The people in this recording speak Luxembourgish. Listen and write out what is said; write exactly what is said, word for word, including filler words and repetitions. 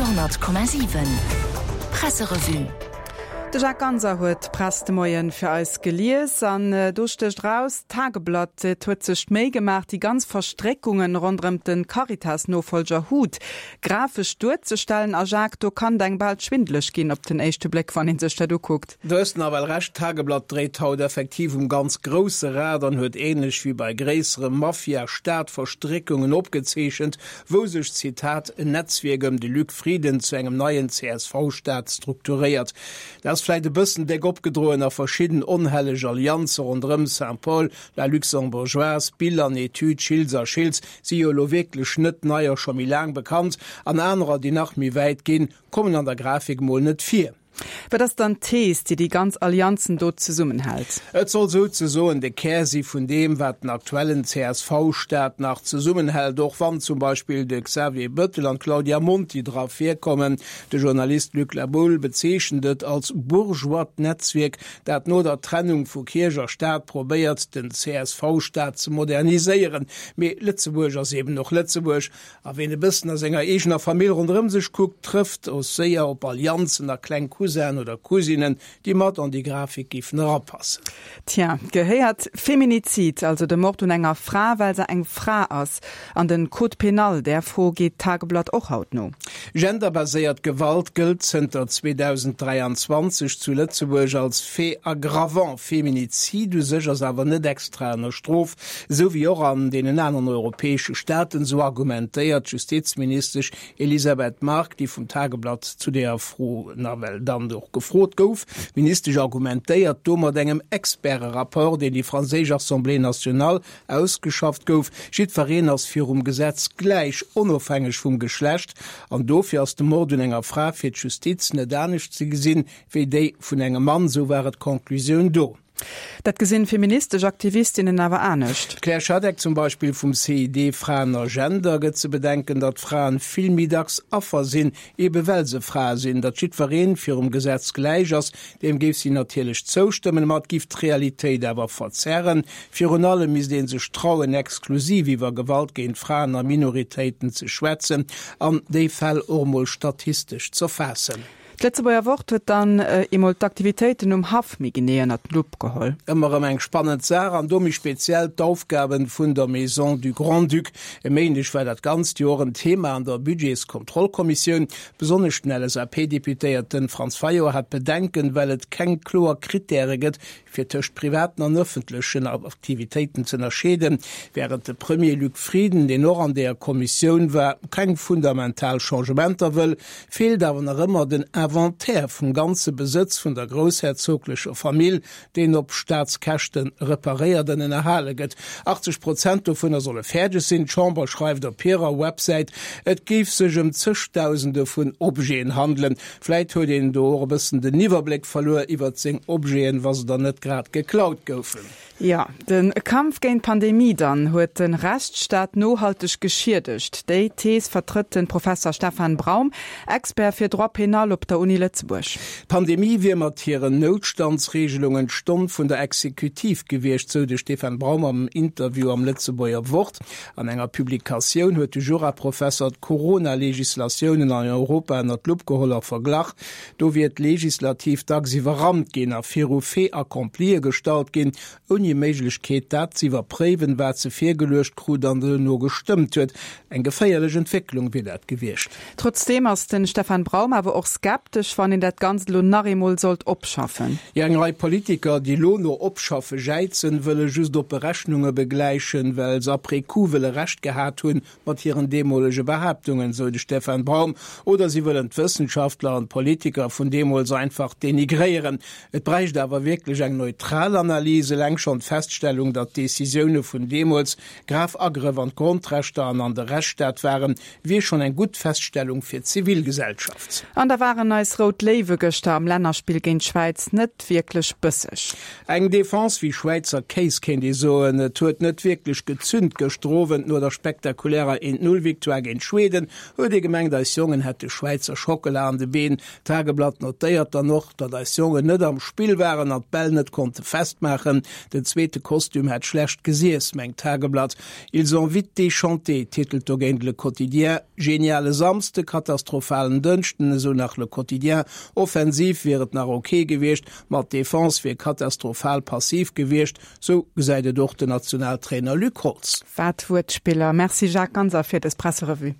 honnert Komma siwen Presserevue. De Jacques Ganser huet d'Press de Moien fir eis gelies an do stécht raus, D'Tageblatt et huet sech d'Méi gemaach, déi ganz Verstréckungen ronderëm de Caritas-Nofollger Huth grafesch duerzestellen. A Jacques, do kann et engem bal schwindeleg ginn op den éischte Bléck, wann een sech dat ukuckt. Du hues nawell Recht, D'Tageblatt dréit haut effektiv um ganz grousse Rad an huet ähnlech wéi bei gréissere Mafia-Staat-Verstréckungen opgezeechent, wou sech, Zitat, en Netzwierk ëm de Luc Frieden zu engem neien C S V-Staat strukturéiert. Dat ass vläit e bëssen déck opgedroen a verschidden onhelleg Allianze ronderëm Saint-Paul, La Luxembourgeoise, Bill an Etüd, Schiltz a Schiltz si jo elo wierklech net nei a scho méi laang bekannt, an anerer, déi nach méi wäit ginn, kommen an der Grafik mol net vir. Wat ass dann d'Thees, déi déi ganz Allianzen do zesummenhält? Et soll souzesoen de Kär si vun deem, wat den aktuellen C S V-Staat nach zesummenhält, och wann zum Beispill de Xavier Bettel an d'Claudia Monti dra virkommen. De Journalist Luc La Boule bezeechent et als bourgeoist Netzwierk, dat no der Trennung vu Kierch a Staat probéiert, den C S V-Staat ze moderniséieren. Mee Lëtzebuerg ass eben och Lëtzebuerg, a ween e bëssen a senger eegener Famill ronderëm sech kuckt, trëfft och séier op Allianzen a kleng Cousin oder Cousinen, déi mat an déi Grafik géifen erapassen. Tja, gehéiert Feminizid, also de Mord un enger Fra, well se eng Fra ass, an den Code pénal? Där Fro geet d'Tageblatt och haut no. Genderbaséiert Gewalt gëllt zënter zweedausenddräianzwanzeg zu Lëtzebuerg als Fait aggravant. Feminizid u sech ass awer net extra ënner Strof, esou wéi och an deenen aneren europäesche Staaten, esou argumentéiert d'Justizministesch Elisabeth Margue, déi vum Tageblatt zu deeër Fro nawell dann och gefrot gouf. D'Ministesch argumentéiert do mat engem Experterapport, deen déi franséisch Assemblée nationale ausgeschafft gouf. Jiddwereen ass virum Gesetz gläich, onofhängeg vum Geschlecht, an dofir ass de Mord un enger Fra fir d'Justiz net anescht ze gesinn wéi déi vun engem Mann, esou war et d'Conclusioun do. Dat gesinn feministesch Aktivistinnen awer anescht. D'Claire Schadeck zum Beispill vum C I D Fraen a Gender gëtt ze bedenken, datt Fraen vill méi dacks Affer sinn, ebe well se Frae sinn, datt jiddwereen virum Gesetz gläich ass, deem géif si natierlech zoustëmmen, ma et géif d'Realitéit awer verzerren. Virun allem misst ee sech trauen, exklusiv iwwer Gewalt géint Fraen a Minoritéiten ze schwätzen an déi Fäll och mol statistesch z'erfaassen. D'Lëtzebuerger Wort huet dann eemol d'Aktivitéiten um Haff méi genee ënnert d'Lupp geholl. Ëmmer erëm eng spannend Saach an do méi speziell d'Aufgaben vun der Maison du Grand-Duc. E Méindeg war dat ganzt Joer en Thema an der Budgetskontrollkommissioun. Besonnesch den L S A P-Deputéierten Franz Fayot hat Bedenken, well et keng kloer Kritäre gëtt, fir tëscht privaten an ëffentlechen Aktivitéiten ze ënnerscheeden, während de Premier Luc Frieden, deen och an der Kommissioun war, keng fundamental Changementer wëll, feelt awer nach ëmmer den Inventaire vum ganze Besëtz vun der groussherzoglecher Famill, deen op Staatskäschten reparéiert an ënnerhale gëtt. achtzeg Prozent dovunner solle fäerdeg sinn. D'Chamber schreift op hirer Websäit, et géif sech ëm zegdausende vun Objeten handelen. Vläit huet een do och e bëssen den Iwwerbléck verluer iwwer seng Objeten, wa se dann net grad geklaut goufen. Ja, den Kampf géint d'Pandemie dann huet den Rechtsstaat nohalteg geschiedegt. Déi Thees vertrëtt den Professer Stefan Braum, Expert fir Droit pénal op der Uni Lëtzebuerg. D'Pandemie wier mat hiren Noutstandsregelungen d'Stonn vun der Exekutiv gewiescht, sou de Stefan Braum am Interview am Lëtzebuerger Wort. An enger Publikatioun huet de Juraprofesser d'Corona-Legislatiounen an Europa ënner d'Lupp geholl a verglach. Do wier d'Legislativ dacks iwwerrannt ginn a viru Fait accomplie gestallt ginn, ouni Méiglechkeet, dat ze iwwerpréiwen, wat se virgeluecht krut an duerno gestëmmt huet. Eng geféierlech Entwécklung wier dat gewiescht. Trotzdeem ass den Stefan Braum awer och skeptesch, wann een dat Ganzt elo nach eemol sollt opschaffen. Ja, eng Rei Politiker, déi elo no opschaffe jäizen, wëlle just op Berechnunge begläichen, well se après coup wëlle Recht gehat hunn mat hiren deemolege Behaaptungen, sou de Stefan Braum. Oder si wëllen d'Wëssenschaftler an d'Politiker vun deemools einfach denigréieren. Et bräicht awer wierklech eng neutral Analys, eleng schonn d'Feststellung, datt d'Decisioune vun deemools grav Agrëff an d'Grondrechter an an de Rechtsstaat waren, wier schonn eng gutt Feststellung fir d'Zivilgesellschaft. An da waren eis Rout Léiwe gëschter am Lännerspill géint d'Schwäiz net wierklech bësseg. Eng Defense wéi Schwäizer Kéis kéint ee soen, et huet net wierklech gezünt. Gëschter Owend no der spektakulärer een-null-Victoire géint Schweden huet ee gemengt, eis Jongen hätte Schwäizer Schockela an de Been. D'Tageblatt notéiert dann och, datt eis Jongen net am Spill waren an d'Bäll net konnte festmaachen. Den zweete Kostüm hätt schlecht gesiess, mengt d'Tageblatt. Ils ont vite déchanté, titelt dogéint Le Quotidien. Geniale Samsde, katastrophalen Dënschden, esou nach Le Quotidien. Offensiv wier et nach ok gewiescht, ma d'Defense wier katastrophal passiv gewiescht, sou gesäit et och den Nationaltrainer Luc Holtz. Wat Wuertspiller. Merci Jacques Ganser fir dës Presserevue.